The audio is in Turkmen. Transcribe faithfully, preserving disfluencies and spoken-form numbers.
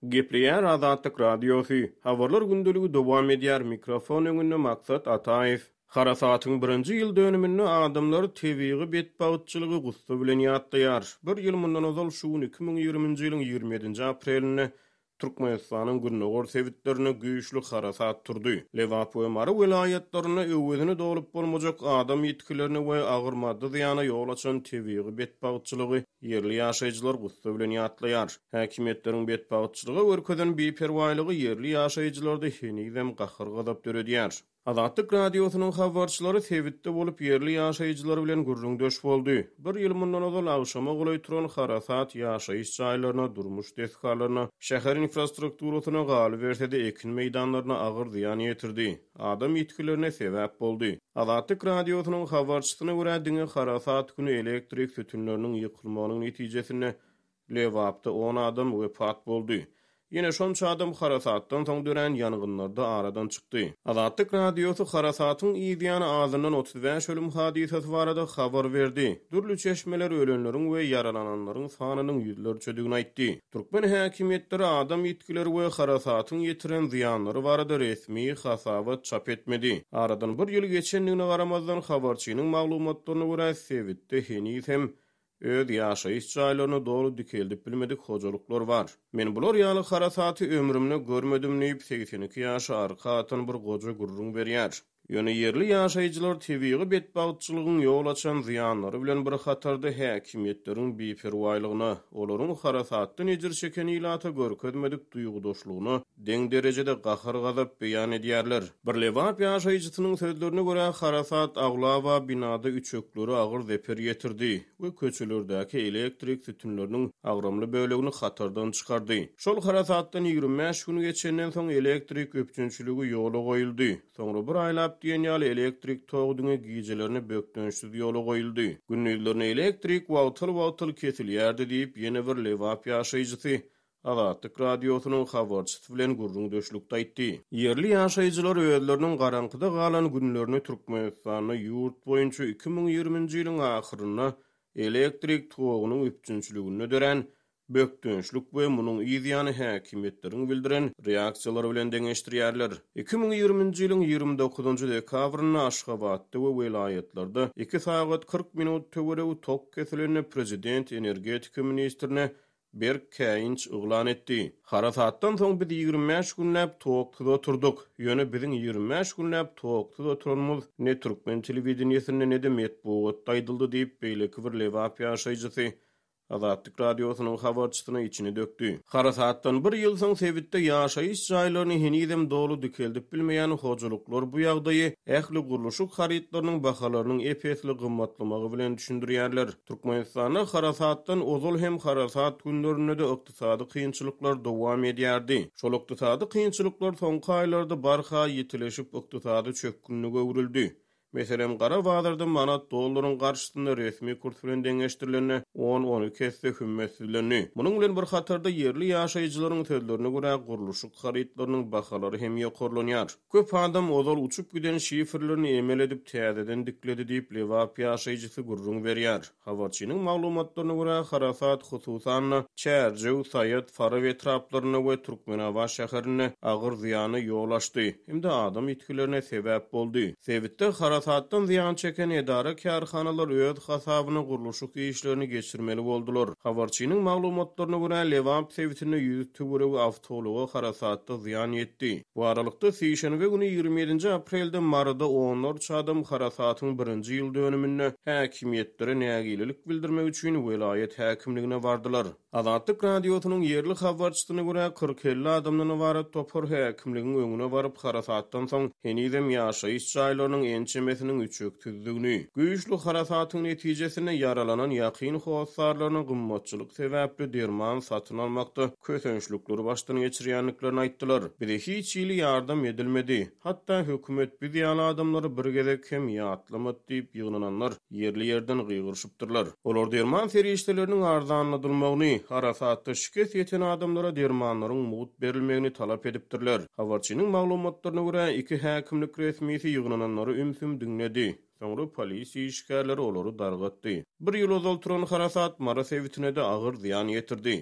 Gepleýär Azatlyk Radiosy. Habarlar gündeligi dowam edýär. Mikrofon öňünde Maksat Ataýew. Harasatyň birinji ýyl dönüminde adamlar tebigy betbagtçylygy gussa bilen ýatlaýar. Bir ýyl mundan ozal şu gün iki müň ýigriminji ýylyň ýigrimi ýedinji aprelinde Türkmenistanyň gündogar sebitlerinde güýçli harasat turdy. Lebap we Mary welaýatlarynda öwezini dolup bolmajak adam ýitgilerine we agyr maddy zyýana ýol açan tebigy betbagtçylygy ýerli ýaşaýjylar gussa bilen ýatlaýar. Häkimiýetleriň betbagtçylyga görkezen biperwaýlygy ýerli ýaşaýjylarda henizem gahar-gazap döredýär. Azatlyk Radiosynyň habarçylary sebitde bolup, ýerli ýaşaýjylar bilen gürrüňdeş boldy. Bir ýyl mundan ozal agşama golaý turan harasat ýaşaýyş jaýlaryna, durmuş desgalaryna, şäher infrastrukturasyna, galyberse-de ekin meýdanlaryna agyr zyýan ýetirdi, adam ýitgilerine sebäp boldy. Azatlyk Radiosynyň habarçysyna görä, diňe harasat güni elektrik sütünleriniň ýykylmagynyň netijesinde Lebapda on adam wepat boldy. Ýene şonça adam harasatdan soň dörän ýangynlarda aradan çykdy. Azatlyk Radiosy harasatyň yz ýany azyndan otuz bäş ölüm hadysasy barada habar berdi. Dürli çeşmeler ölenleriň we ýaralananlaryň sanynyň ýüzlerçedigini aýtdy. Türkmen häkimiýetleri adam ýitgileri we harasatyň ýetiren zyýanlary barada resmi hasabat çap etmedi. Aradan bir ýyl geçendigine garamazdan, habarçynyň maglumatlaryna görä, sebitde heniz hem öz ýaşaýyş jaýlaryny doly dikeldip bilmedik hojalyklar bar. Men bular ýaly harasaty ömrümde görmedim diýip, segsen iki ýaşy arka atan bir goja gürrüň berýär. Ýöne ýerli ýaşaýjylar tebigy betbagtçylygyň ýol açan zyýanlary bilen bir hatarda häkimiýetleriň biperwaýlygyna, olaryň harasatdan ejir çeken ilata görkezmedik duýgudaşlygyna deň derejede gahar-gazap beýan edýärler. Bir Lebap ýaşaýjysynyň sözlerine görä, harasat aglaba binada üçeklere agyr zeper ýetirdi we köçelerdäki elektrik sütünleriniň agramly bölegini hatardan çykardy. Şol harasatdan ýigrimi bäş gün geçenden soň elektrik üpjünçiligi ýola goýuldy. Soňra bir aýlap diýen ýaly elektrik togy diňe gijelerine bökdençsiz ýola goýuldy. Gündizlerine elektrik wagtal-wagtal kesilýärdi diýip, ýene bir Lebap ýaşaýjysy Azatlyk Radiosynyň habarçysy bilen gürrüňdeşlikde aýtdy. Ýerli ýaşaýjylar özleriniň garaňkyda galan günlerini Türkmenistanda ýurt boýunça iki müň ýigriminji ýylyň ahyrynda elektrik togunyň üpjünçiliginde dörän bökdençlik we munuň yz ýany häkimiýetleriň bildiren reaksiýalary bilen deňeşdirýärler. Iki müň ýigriminji ýylyň ýigrimi dokuzynjy dekabrynda Aşgabatda we welaýatlarda iki sagat kyrk minut töweregi tok kesilende prezident energetika ministrine berk käýinç yglan etdi. Harasatdan soň biz ýigrimi bäş günläp toksuz oturdyk. Ýöne biziň ýigrimi bäş günläp toksuz oturanymyz ne türkmen telewideniýesinde ne-de metbugatda aýdyldy diýip, beýleki bir Lebap ýaşaýjysy Azatlyk Radiosynyň habarçysyna içini dökdi. Harasatdan bir ýyl soň sebitde ýaşaýyş jaýlaryny henizem doly dikeldip bilmeýän hojalyklar bu ýagdaýy ähli gurluşyk harytlarynyň bahalarynyň ep-esli gymmatlamagy bilen düşündirýärler. Türkmenistanda harasatdan ozal hem harasat günlerinde-de ykdysady kynçylyklar dowam edýärdi. Şol ykdysady kynçylyklar soňky aýlarda barha ýitileşip ykdysady çökgünlige öwrüldi. Meselem, gara bazarda manat dollaryň garşysynda resmi kurs bilen deňeşdirilende on-on iki esse hümmetsizlendi. Munuň bilen bir hatarda ýerli ýaşaýjylaryň sözlerine görä gurluşyk harytlarynyň bahalary hem ýokarlanýar. Köp adam ozal uçup giden şifrlerini emel edip täzeden dikledi diýip, Lebap ýaşaýjysy gürrüň berýär. Habarçynyň maglumatlaryna görä, harasat hususan-da Çärjew, Saýat, Farap etraplarynda we Türkmenabat şäherinde agyr zyýana ýol açdy hem-de adam ýitgilerine sebäp boldy. Sebitde harasatdan zyýan çeken edara-kärhanalar öz hasabyna gurluşyk işlerini geçirmeli boldular. Habarçynyň maglumatlaryna görä, Lebap sebitinde ýüz töweregi awtoulaga harasatda zyýan ýetdi. Bu aralykda sişenbe güni ýigrimi ýedinji aprelde Maryda onlarça adam harasatyň birinji ýyl dönüminde häkimiýetlere nägilelik bildirmek üçin welaýat häkimligine bardylar. Azatlyk Radiosynyň ýerli habarçysyna görä, kyrk-elli adamdan ybarat topar häkimligiň öňüne baryp, harasatdan soň henizem ýaşaýyş jaýlarynyň ençemesiniň üçeksizdigini, güýçli harasatyň netijesinde ýaralanan ýakyn hossarlaryna gymmatçylyk sebäpli derman satyn almakda kösençlikleri başdan geçirýändiklerini aýtdylar. Bize hiç hili ýardam edilmedi. Hatda hökümet biz ýaly adamlary bir gezek hem ýatlamady diýip ýygnananlar ýerli ýerden gygyryşypdyrlar. Olar derman serişdeleriniň arzanladylmagyny, harasatda şikes ýeten adamlara dermanlaryň mugt berilmegini talap edipdirler. Habarçynyň maglumatlaryna görä, iki häkimlik resmisi ýygnananlary ümsüm diňledi. Soňra polisiýa işgärleri olary dargatdy. Bir ýyl ozal turan harasat Mary sebitine-de agyr zyýan ýetirdi.